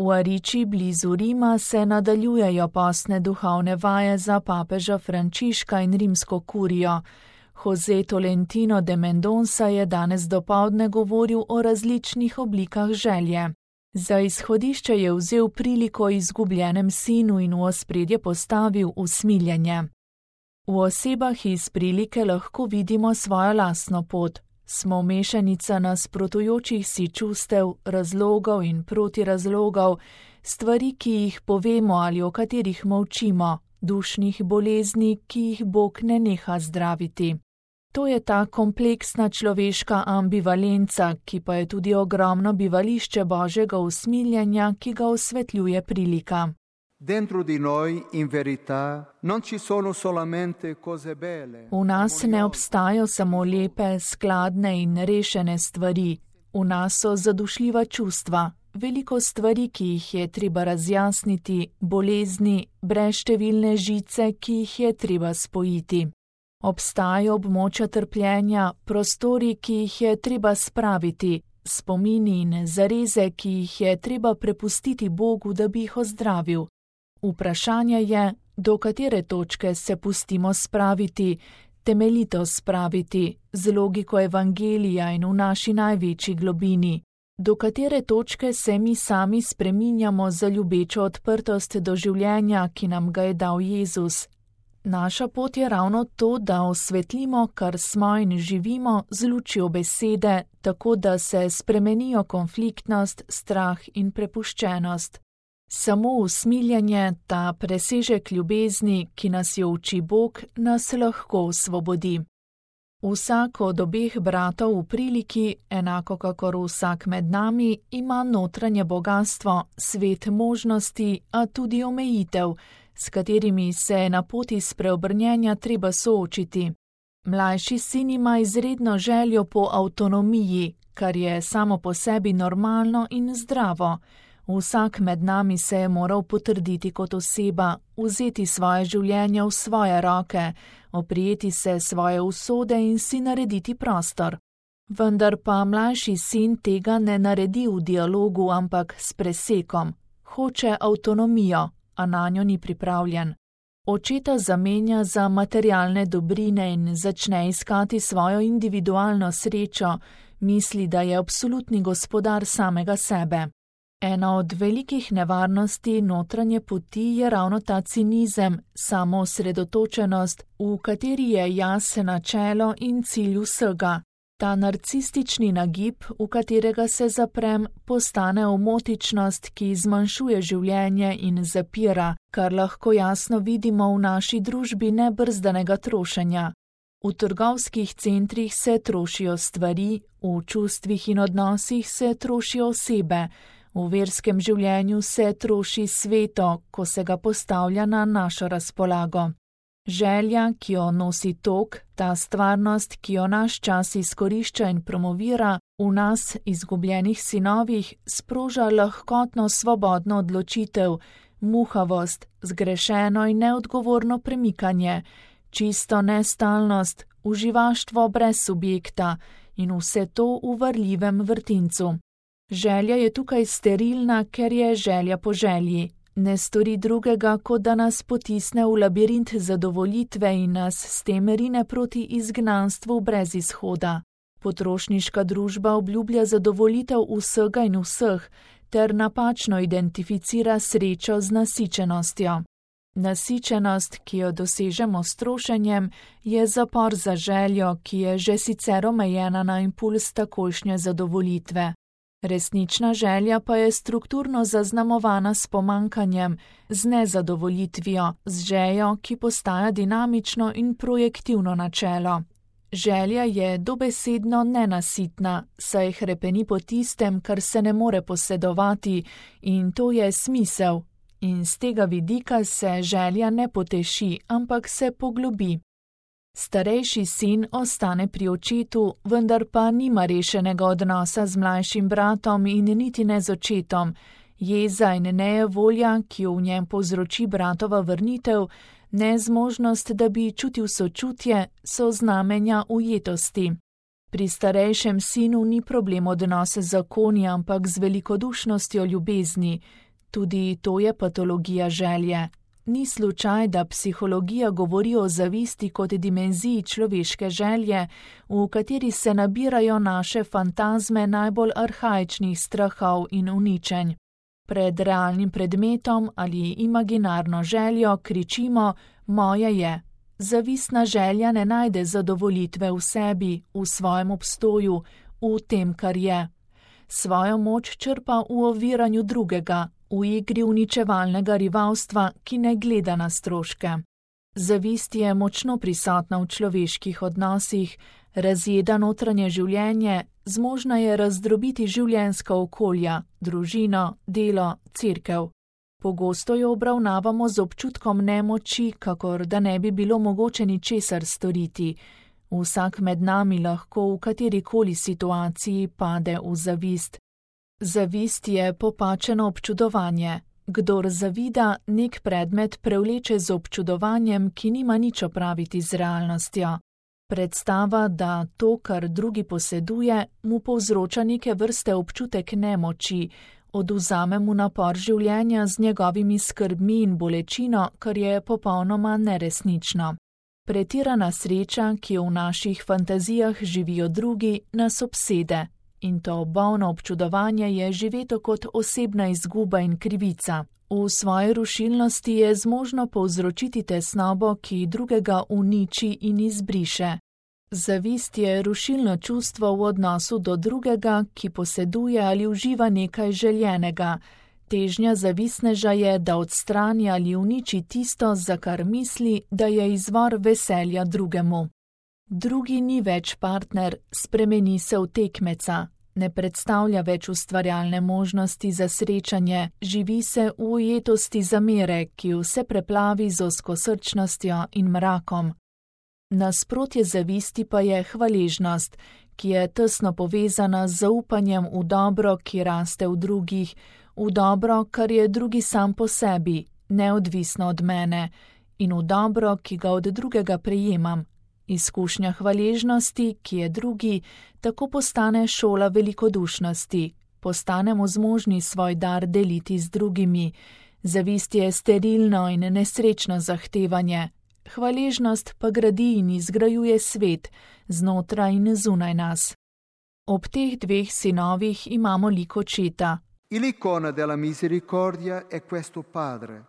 V Ariči blizu Rima se nadaljujejo postne duhovne vaje za papeža Frančiška in rimsko kurijo. Jose Tolentino de Mendonça je danes dopoldne govoril o različnih oblikah želje. Za izhodišče je vzel priliko o izgubljenem sinu in v ospredje postavil usmiljenje. V osebah iz prilike lahko vidimo svojo lastno pot. Smo mešanica nasprotujočih si čustev, razlogov in protirazlogov, stvari, ki jih povemo ali o katerih molčimo, dušnih bolezni, ki jih Bog ne neha zdraviti. To je ta kompleksna človeška ambivalenca, ki pa je tudi ogromno bivališče Božjega usmiljenja, ki ga osvetljuje prilika. Dentro di noi, in verità, non ci sono solamente cose belle. V nas ne obstajajo samo lepe, skladne in rešene stvari. V nas so zadušljiva čustva, veliko stvari, ki jih je treba razjasniti, bolezni, brezštevilne žice, ki jih je treba spojiti. Obstajajo območja trpljenja, prostori, ki jih je treba spraviti, spomini in zareze, ki jih je treba prepustiti Bogu, da bi jih ozdravil. Vprašanje je, do katere točke se pustimo spraviti, temeljito spraviti, z logiko evangelija in v naši največji globini. Do katere točke se mi sami spreminjamo za ljubečo odprtost do življenja, ki nam ga je dal Jezus. Naša pot je ravno to, da osvetlimo, kar smo in živimo z lučjo besede, tako da se spremenijo konfliktnost, strah in prepuščenost. Samo usmiljenje, ta presežek ljubezni, ki nas jo uči Bog, nas lahko osvobodi. Vsak od obeh bratov v priliki, enako kakor vsak med nami, ima notranje bogastvo, svet možnosti, a tudi omejitev, s katerimi se je na poti spreobrnjenja treba soočiti. Mlajši sin ima izredno željo po avtonomiji, kar je samo po sebi normalno in zdravo. Vsak med nami se je moral potrditi kot oseba, vzeti svoje življenje v svoje roke, oprijeti se svoje usode in si narediti prostor. Vendar pa mlajši sin tega ne naredi v dialogu, ampak s presekom. Hoče avtonomijo, a nanjo ni pripravljen. Očeta zamenja za materialne dobrine in začne iskati svojo individualno srečo, misli, da je absolutni gospodar samega sebe. Ena od velikih nevarnosti notranje poti je ravno ta cinizem, samoosredotočenost, v kateri je jaz načelo in cilj vsega. Ta narcistični nagib, v katerega se zaprem, postane omotičnost, ki zmanjšuje življenje in zapira, kar lahko jasno vidimo v naši družbi nebrzdanega trošenja. V trgovskih centrih se trošijo stvari, v čustvih in odnosih se trošijo osebe, v verskem življenju se troši sveto, ko se ga postavlja na našo razpolago. Želja, ki jo nosi tok, ta stvarnost, ki jo naš čas izkorišča in promovira, v nas, izgubljenih sinovih, sproža lahkotno svobodno odločitev, muhavost, zgrešeno in neodgovorno premikanje, čisto nestalnost, uživaštvo brez subjekta in vse to v varljivem vrtincu. Želja je tukaj sterilna, ker je želja po želji. Ne stori drugega, kot da nas potisne v labirint zadovoljitve in nas s tem rine proti izgnanstvu brez izhoda. Potrošniška družba obljublja zadovoljitev vsega in vseh, ter napačno identificira srečo z nasičenostjo. Nasičenost, ki jo dosežemo s trošenjem, je zapor za željo, ki je že sicer omejena na impuls takojšnje zadovoljitve. Resnična želja pa je strukturno zaznamovana s pomanjkanjem, z nezadovoljitvijo, z željo, ki postaja dinamično in projektivno načelo. Želja je dobesedno nenasitna, saj hrepeni po tistem, kar se ne more posedovati, in to je smisel. In z tega vidika se želja ne poteši, ampak se poglobi. Starejši sin ostane pri očetu, vendar pa nima rešenega odnosa z mlajšim bratom in niti ne z očetom. Jeza in nejevolja, ki jo v njem povzroči bratova vrnitev, nezmožnost, da bi čutil sočutje, so znamenja ujetosti. Pri starejšem sinu ni problem odnose z zakoni, ampak z velikodušnostjo ljubezni. Tudi to je patologija želje. Ni slučaj, da psihologija govori o zavisti kot dimenziji človeške želje, v kateri se nabirajo naše fantazme najbolj arhaičnih strahov in uničenj. Pred realnim predmetom ali imaginarno željo kričimo: moje je. Zavistna želja ne najde zadovolitve v sebi, v svojem obstoju, v tem, kar je. Svojo moč črpa v oviranju drugega, v igri uničevalnega rivalstva, ki ne gleda na stroške. Zavist je močno prisotna v človeških odnosih, razjeda notranje življenje, zmožna je razdrobiti življenjska okolja, družino, delo, cerkev. Pogosto jo obravnavamo z občutkom nemoči, kakor da ne bi bilo mogoče ničesar storiti. Vsak med nami lahko v katerikoli situaciji pade v zavist. Zavist je popačeno občudovanje. Kdor zavida, nek predmet prevleče z občudovanjem, ki nima nič opraviti z realnostjo. Predstava, da to, kar drugi poseduje, mu povzroča neke vrste občutek nemoči, odvzame mu napor življenja z njegovimi skrbmi in bolečino, kar je popolnoma neresnično. Pretirana sreča, ki jo v naših fantazijah živijo drugi, nas obsede. In to bolno občudovanje je živeto kot osebna izguba in krivica. V svoji rušilnosti je zmožno povzročiti tesnobo, ki drugega uniči in izbriše. Zavist je rušilno čustvo v odnosu do drugega, ki poseduje ali uživa nekaj željenega. Težnja zavistneža je, da odstrani ali uniči tisto, za kar misli, da je izvor veselja drugemu. Drugi ni več partner, spremeni se v tekmeca. Ne predstavlja več ustvarjalne možnosti za srečanje, živi se v ujetosti zamere, ki vse preplavi z ozkosrčnostjo in mrakom. Nasprotje zavisti pa je hvaležnost, ki je tesno povezana z zaupanjem v dobro, ki raste v drugih, v dobro, kar je drugi sam po sebi, neodvisno od mene, in v dobro, ki ga od drugega prejemam. Izkušnja hvaležnosti, ki je drugi, tako postane šola velikodušnosti. Postanemo zmožni svoj dar deliti z drugimi. Zavist je sterilno in nesrečno zahtevanje. Hvaležnost pa gradi in izgrajuje svet, znotraj in zunaj nas. Ob teh dveh sinovih imamo lik očeta. L'icona della misericordia è questo padre.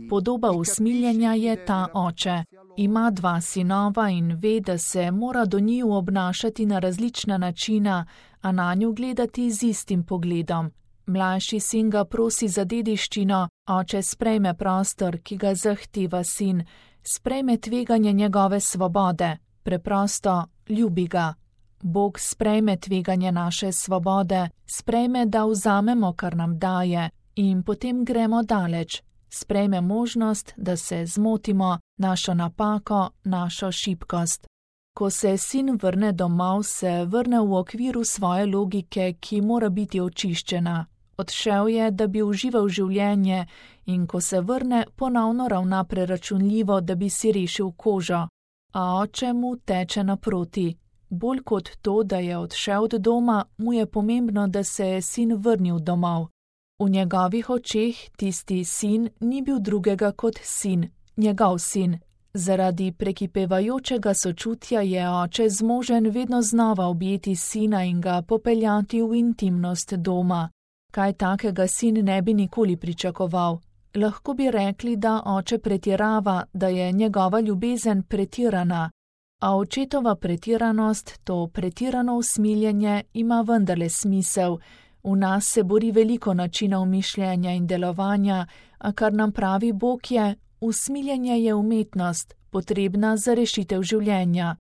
Podoba usmiljenja je ta oče. Ima dva sinova in ve, da se mora do njiju obnašati na različna načina, a nanju gledati z istim pogledom. Mlajši sin ga prosi za dediščino, oče sprejme prostor, ki ga zahteva sin, sprejme tveganje njegove svobode, preprosto ljubi ga. Bog sprejme tveganje naše svobode, sprejme, da vzamemo, kar nam daje, in potem gremo daleč. Sprejme možnost, da se zmotimo, našo napako, našo šibkost. Ko se sin vrne domov, se vrne v okviru svoje logike, ki mora biti očiščena. Odšel je, da bi užival življenje, in ko se vrne, ponovno ravna preračunljivo, da bi si rešil kožo. A oče mu teče naproti. Bolj kot to, da je odšel od doma, mu je pomembno, da se je sin vrnil domov. V njegovih očeh tisti sin ni bil drugega kot sin, njegov sin. Zaradi prekipevajočega sočutja je oče zmožen vedno znova objeti sina in ga popeljati v intimnost doma. Kaj takega sin ne bi nikoli pričakoval. Lahko bi rekli, da oče pretirava, da je njegova ljubezen pretirana. A očetova pretiranost, to pretirano usmiljenje, ima vendarle smisel. V nas se bori veliko načinov mišljenja in delovanja, a kar nam pravi Bog je, usmiljenje je umetnost, potrebna za rešitev življenja.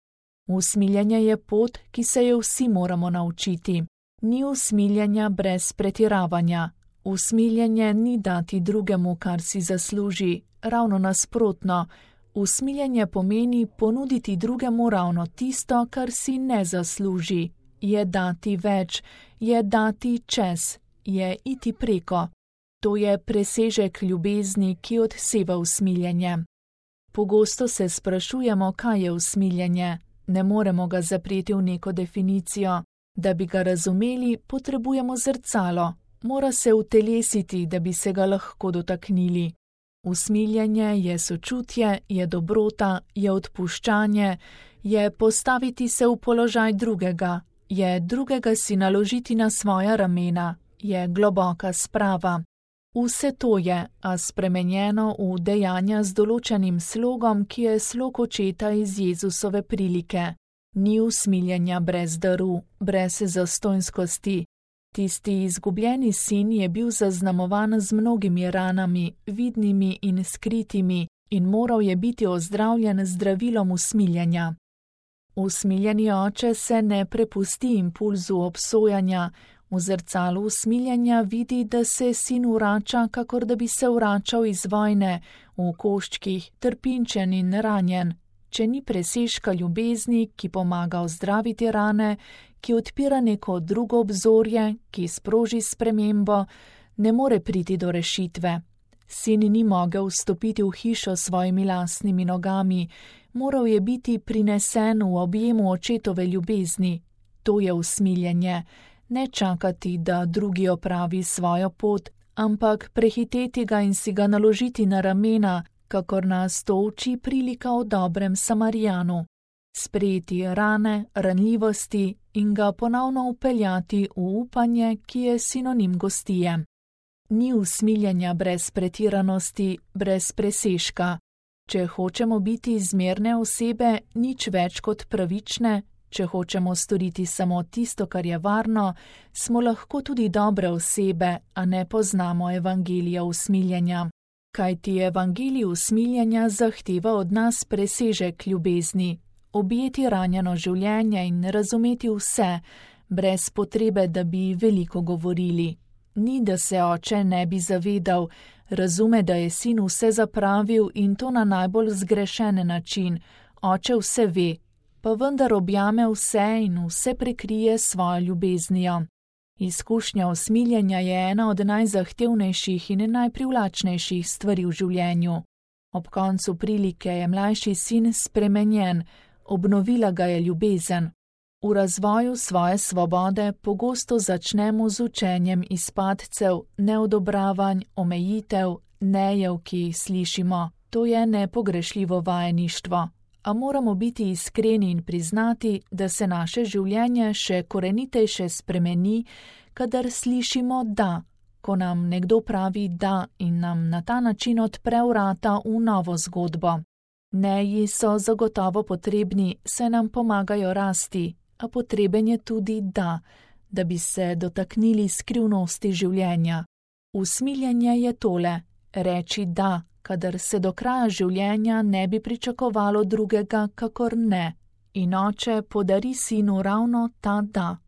Usmiljenje je pot, ki se jo vsi moramo naučiti. Ni usmiljenja brez pretiravanja. Usmiljenje ni dati drugemu, kar si zasluži, ravno nasprotno. Usmiljenje pomeni ponuditi drugemu ravno tisto, kar si ne zasluži. Je dati več, je dati čez, je iti preko. To je presežek ljubezni, ki odseva usmiljenje. Pogosto se sprašujemo, kaj je usmiljenje. Ne moremo ga zapreti v neko definicijo. Da bi ga razumeli, potrebujemo zrcalo. mora se utelesiti, da bi se ga lahko dotaknili. Usmiljenje je sočutje, je dobrota, je odpuščanje, je postaviti se v položaj drugega, je drugega si naložiti na svoja ramena, je globoka sprava. Vse to je, a spremenjeno v dejanja z določenim slogom, ki je slog očeta iz Jezusove prilike. Ni usmiljenja brez daru, brez zastonjskosti. Tisti izgubljeni sin je bil zaznamovan z mnogimi ranami, vidnimi in skritimi, in moral je biti ozdravljen z zdravilom usmiljenja. Usmiljeni oče se ne prepusti impulzu obsojanja, v zrcalu usmiljenja vidi, da se sin vrača, kakor da bi se vračal iz vojne, v koščkih, trpinčen in ranjen. Če ni presežka ljubezni, ki pomaga ozdraviti rane, ki odpira neko drugo obzorje, ki sproži spremembo, ne more priti do rešitve. Sin ni mogel vstopiti v hišo s svojimi lastnimi nogami, moral je biti prinesen v objemu očetove ljubezni. To je usmiljenje, ne čakati, da drugi opravi svojo pot, ampak prehiteti ga in si ga naložiti na ramena, kakor nas to uči prilika o dobrem Samarijanu. Sprejeti rane, ranljivosti in ga ponovno upeljati v upanje, ki je sinonim gostije. Ni usmiljenja brez pretiranosti, brez presežka. Če hočemo biti zmerne osebe, nič več kot pravične, če hočemo storiti samo tisto, kar je varno, smo lahko tudi dobre osebe, a ne poznamo evangelija usmiljenja. Kajti evangelij usmiljenja zahteva od nas presežek ljubezni, objeti ranjeno življenje in razumeti vse, brez potrebe, da bi veliko govorili. Ni, da se oče ne bi zavedal, razume, da je sin vse zapravil in to na najbolj zgrešen način, oče vse ve, pa vendar objame vse in vse prekrije svojo ljubeznijo. Izkušnja usmiljenja je ena od najzahtevnejših in najprivlačnejših stvari v življenju. Ob koncu prilike je mlajši sin spremenjen, obnovila ga je ljubezen. V razvoju svoje svobode pogosto začnemo z učenjem iz padcev, neodobravanj, omejitev, nejev, ki jih slišimo. To je nepogrešljivo vajeništvo. A moramo biti iskreni in priznati, da se naše življenje še korenitejše spremeni, kadar slišimo da, ko nam nekdo pravi da in nam na ta način odpre vrata v novo zgodbo. Neji so zagotovo potrebni, saj nam pomagajo rasti, a potreben je tudi da bi se dotaknili skrivnosti življenja. Usmiljenje je tole, reči da, kadar se do kraja življenja ne bi pričakovalo drugega, kakor ne. In oče podari sinu ravno ta da.